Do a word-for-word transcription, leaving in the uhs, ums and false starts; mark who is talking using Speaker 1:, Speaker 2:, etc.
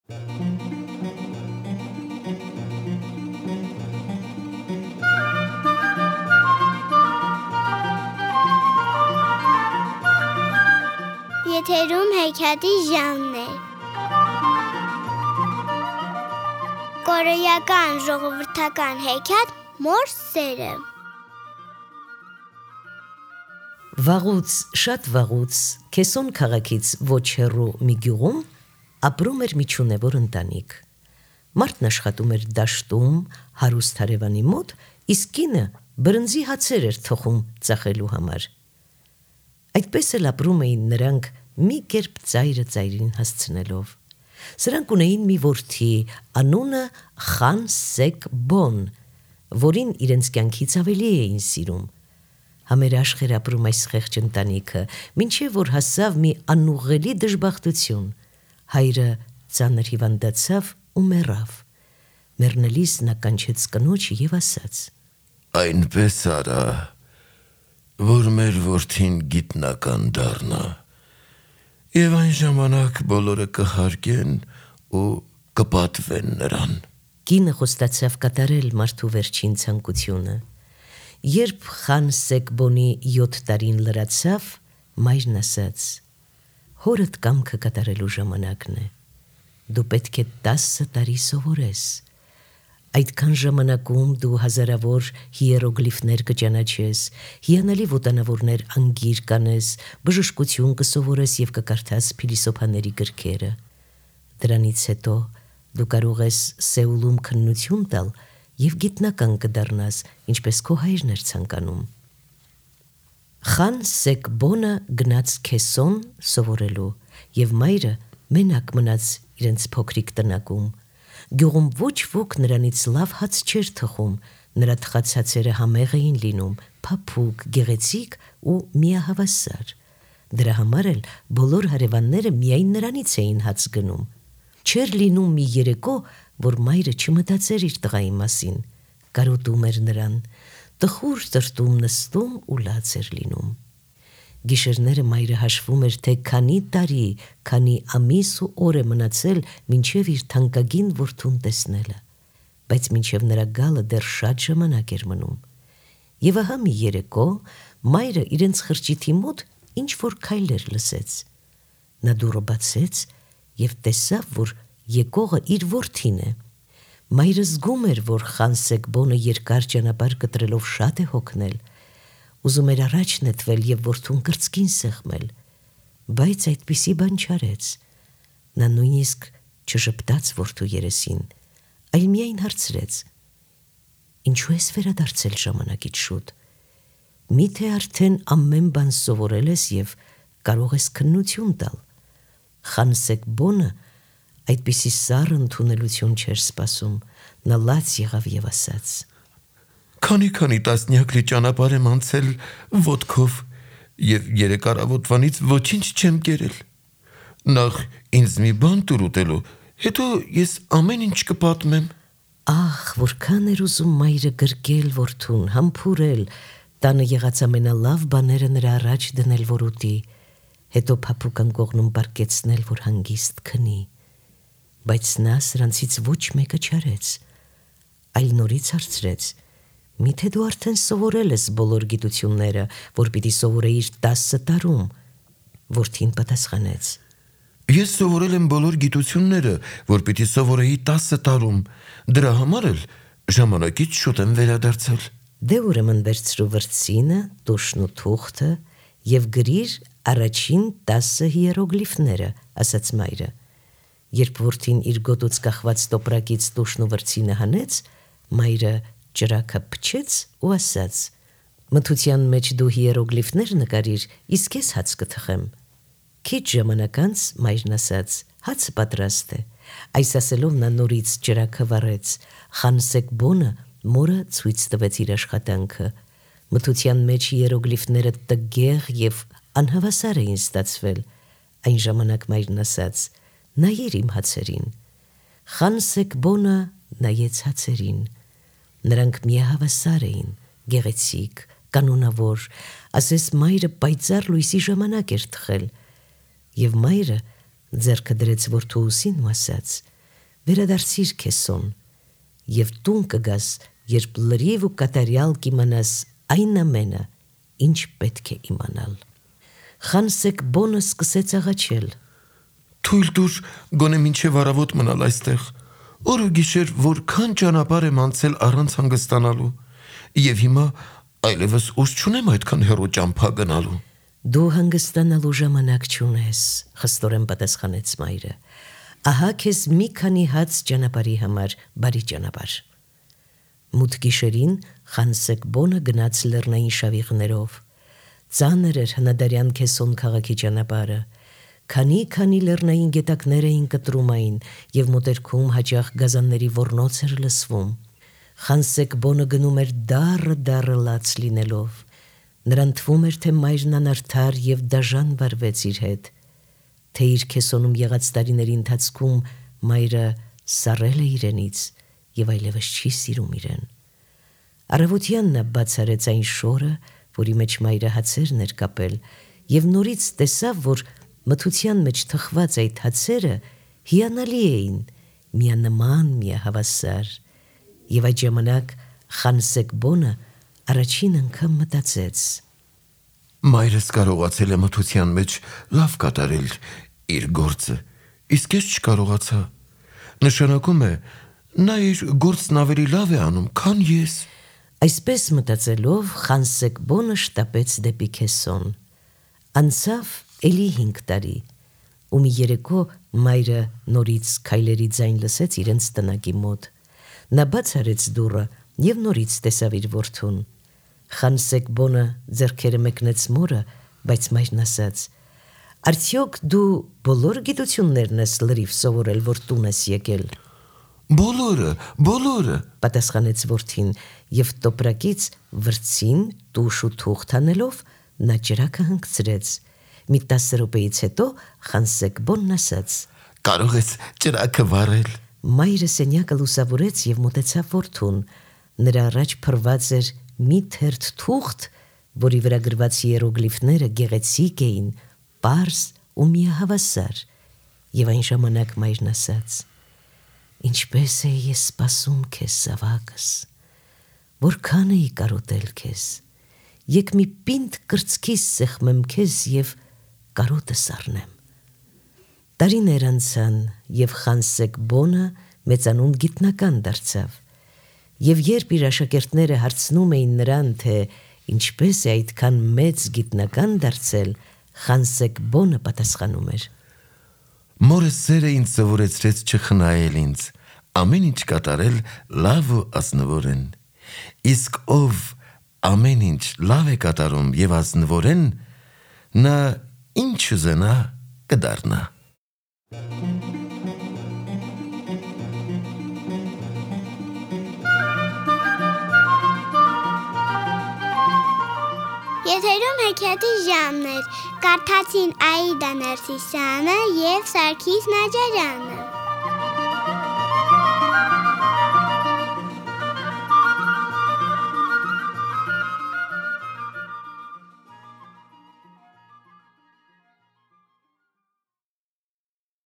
Speaker 1: Եթերում հեքիաթի ժանրն է։ Կորեական ժողովրդական հեքիաթ «Մոր սերը»։
Speaker 2: Վաղուց, շատ վաղուց, Քեսոն քաղաքից ոչ հեռու մի գյուղում ապրում էր մի չունևոր ընտանիք։ Մարդն աշխատում էր դաշտում հարուստ հարևանի մոտ, իսկ կինը բրնձի հացեր էր թխում ծախելու համար։ Այդպես էլ ապրում էին նրանք մի կերպ ծայրը ծայրին հասցնելով։ Սրանք ունեին մի որդի, անունը Խան Սեկ Բոն, որին իրենց կյանքից ավելի էին սիրում։ Համերաշխ էր ապրում այս խեղճ ընտանիքը, մինչև որ հասավ մի անուղղելի դժբախտություն։ Հայրը ծանր հիվանդացավ ու մեռավ։ Մեռնելիս նա կանչեց կնոջը և ասաց.
Speaker 3: Այնպես արա, որ մեր որդին գիտնական դառնա, և այն ժամանակ բոլորը կհարգեն ու կպատվեն նրան։
Speaker 2: Կինը խոստացավ կատարել մարդու վերջին ցանկությունը։ Երբ Խան Սեկ Բոնի յոթ տարին լրացավ, մայրն ասաց. հորդ կամքը կատարելու ժամանակն է։ Դու պետք է տասը տարի սովորես։ Այդքան ժամանակում դու հազարավոր հիերոգլիֆներ կճանաչես, հիանալի ոտանավորներ անգիր կանես, բժշկություն կսովորես և կկարդաս փիլիսոփաների գրքերը։ Դրանից հետո դու կարող ես Սեուլում քննություն տալ և գիտնական կդառնաս, ինչպես քո հայրն էր ցանկանում։ Խան Սեկ Բոնը գնաց Քեսոն սովորելու, և մայրը մենակ մնաց իրենց փոքրիկ տնակում։ Գյուղում ոչ ոք նրանից լավ հաց չէր թխում, նրա թխած հացերը համեղ էին լինում, փափուկ, գեղեցիկ ու միահավասար։ Դրա համար էլ բոլոր հարևանները միայն նրանից էին հաց գնում։ Չէր լինում մի երեկո, որ մայրը չմտածեր իր տղայի մասին, կարոտում էր նրան, տխուր տրտում նստում ու լաց էր լինում։ Գիշերները մայրը հաշվում էր, թե քանի տարի, քանի ամիս ու օր է մնացել մինչև իր թանկագին որդուն տեսնելը, բայց մինչև նրա գալը դեռ շատ ժամանակ էր մնում։ Եվ ահա մի երեկո մայրը իրենց խրճիթի մոտ ինչ-որ քայլեր լսեց։ Նա դուռը բացեց և տեսավ, որ եկողը իր որդին է։ Մայրը զգում էր, որ Խան Սեկ Բոնը երկար ճանապարհ կտրելով շատ է հոգնել, ուզում էր առաջ նետվել և որդուն կրծքին սեղմել, բայց այդպիսի բան չարեց։ Նա նույնիսկ չժպտաց որդու երեսին, այլ միայն հարցրեց. Ինչու ես վերադարձել ժամանակից շուտ։ Միթե արդեն ամեն բան սովորել ես և կարող ես քննություն տալ։ Խան Սեկ Բոնը այդպիսի սառը ընդունելություն չէր սպասում, նա լաց եղավ և ասաց.
Speaker 3: Քանի-քանի տասնյակ լի ճանապարհ եմ անցել ոտքով և երեք առավոտվանից ոչինչ չեմ կերել։ Նախ ինձ մի բան տուր ուտելու, հետո ես ամեն ինչ կպատմեմ։
Speaker 2: Ախ, որքան էր ուզում մայրը գրկել որդուն, համբուրել, տանը եղած ամենալավ բաները նրա առաջ դնել, որ ուտի, հետո փափուկ անկողնում պառկեցնել, որ հանգիստ քնի։ Բայց նա սրանցից ոչ մեկը չարեց, այլ նորից հարցրեց. Միթե դու արդեն սովորել ես բոլոր գիտությունները, որ պիտի սովորեիր տասը տարում։ Որդին պատասխանեց.
Speaker 3: Ես սովորել եմ բոլոր գիտությունները, որ պիտի սովորեի տասը տարում, դրա համար էլ ժամանակից շուտ եմ վերադարձել։
Speaker 2: Դե ուրեմն վերցրու վրձինը, տուշն ու թուղթը և գրիր առաջին տասը հիերոգլիֆները, ասաց մայրը։ Երբ որդին իր գոտուց կախված տոպրակից տուշն ու վրձինը հանեց, մայրը ճրագը փչեց ու ասաց. մթության մեջ դու հիերոգլիֆներ նկարիր, իսկ ես հաց կթխեմ։ Քիչ ժամանակ անց մայրն ասաց. հացը պատրաստ է։ Այս ասելով նա նորից ճրագը վառեց։ Խան Սեկ Բոնը մորը ցույց տվեց իր աշխատանքը։ Մթության մեջ հիերոգլիֆները տգեղ և անհավասար էին ստացվել։ Այն ժամանակ մայրն ասաց. նայիր իմ հացերին։ Խան Սեկ Բոնը նայեց հացերին։ Նրանք միահավասար էին, գեղեցիկ, կանոնավոր, ասես մայրը պայծառ լույսի ժամանակ էր թխել։ Եվ մայրը ձեռքը դրեց որդու ուսին ու ասաց. վերադարձիր քեսոն եւ տուն կգաս, երբ լրիվ ու կատարյալ կիմանաս այն ամենը, ինչ պետք է իմանալ։ Խանսեկ բոնը սկսեց աղաչել.
Speaker 3: Թույլ տուր գոնե մինչև առավոտ մնալ այստեղ։ Օր ու գիշեր որքան ճանապարհ եմ անցել առանց հանգստանալու, եւ հիմա այլևս ուժ չունեմ այդքան հեռու ճամփա գնալու։
Speaker 2: Դու հանգստանալու ժամանակ չունես, խստորեն պատասխանեց մայրը։ Ահա քեզ մի քանի հաց ճանապարհի համար, բարի ճանապարհ։ Մութ գիշերին Խանսեկ բոնը գնաց լեռնային շավիղներով։ Ծանր էր հնադարյան Քեսոն քաղաքի ճանապարհը։ Քանի-քանի լեռնային գետակներ էին կտրում այն, եւ մոտերքում հաճախ գազանների ոռնոց էր լսվում։ Խանսեկ բոնը գնում էր դառը-դառը լաց լինելով։ Նրան թվում էր, թե մայրն անարդար եւ դաժան վարվեց իր հետ, թե իր Քեսոնում եղած տարիների ընթացքում մայրը սառել է իրենից եւ այլևս չի սիրում իրեն։ Առավոտյան նա բաց արեց այն շորը, որի մեջ մայրը հացերն էր կապել, եւ նորից տեսավ, որ մթության մեջ թխված այդ հացերը հիանալի էին, միանման, միահավասար, եւ այդ ժամանակ Խանսեկ բոնը առաջին անգամ մտածեց.
Speaker 3: Մայրս կարողացել է մթության մեջ լավ կատարել իր գործը, իսկ ես չկարողացա։ Նշանակում է, նա իր գործն ավելի լավ է անում, քան ես։
Speaker 2: Այսպես մտածելով Խանսեկ բոնը շտապեց դեպի Քեսոն։ Անցավ էլի հինգ տարի, ու մի երեկո մայրը նորից քայլերի ձայն լսեց իրենց տնակի մոտ։ Նա բաց արեց դուռը եւ նորից տեսավ իր որդուն։ Խանսեկ բոնը ձեռքերը մեկնեց մորը, բայց մայրն ասաց. Արդյոք դու բոլոր գիտություններն ես լրիվ սովորել, որ տուն ես եկել։
Speaker 3: Բոլորը, բոլորը,
Speaker 2: պատասխանեց որդին եւ տոպրակից վրձին տուշ ու թուղթ անելով նա ջրակը հանգցրեց։ Մի տասը րոպեից հետո Խանսեկ բոնն ասաց.
Speaker 3: Կարող ես ջրակը վառել։
Speaker 2: Մայրը սենյակը լուսավորեց եւ մոտեցավ որդուն։ Նրա առաջ փռված էր մի թերթ թուղթ, որի վրա գրված հիերոգլիֆները գեղեցիկ էին, պարզ ու միահավասար, եւ այն ժամանակ մայրն ասաց. Ինչպես էի ես սպասում քեզ, զավակս, որքան էի կարոտել քեզ, եկ մի պինդ կրծքիս սեղմեմ քեզ եւ կարոտը սառնեմ։ Տարիներ անցան եւ Խանսեկ բոնը մեծանուն գիտնական դարձավ, եւ երբ իր աշակերտները հարցնում էին նրան, թե ինչպես է այդքան մեծ գիտնական դարձել, Խանսեկ բոնը պատասխանում էր.
Speaker 3: Մորս սերը ինձ սովորեցրեց չխնայել ինձ, ամեն ինչ կատարել լավ ու ազնվորեն։ Իսկ ով ամեն ինչ լավ է կատարում եւ ազնվորեն, նա ինչ ուզենա կդառնա։
Speaker 1: Եթերում հեքիաթի ժամն էր, կարդացին Աիդա Ներսիսյանը և Սարգիս Նաջարյանը։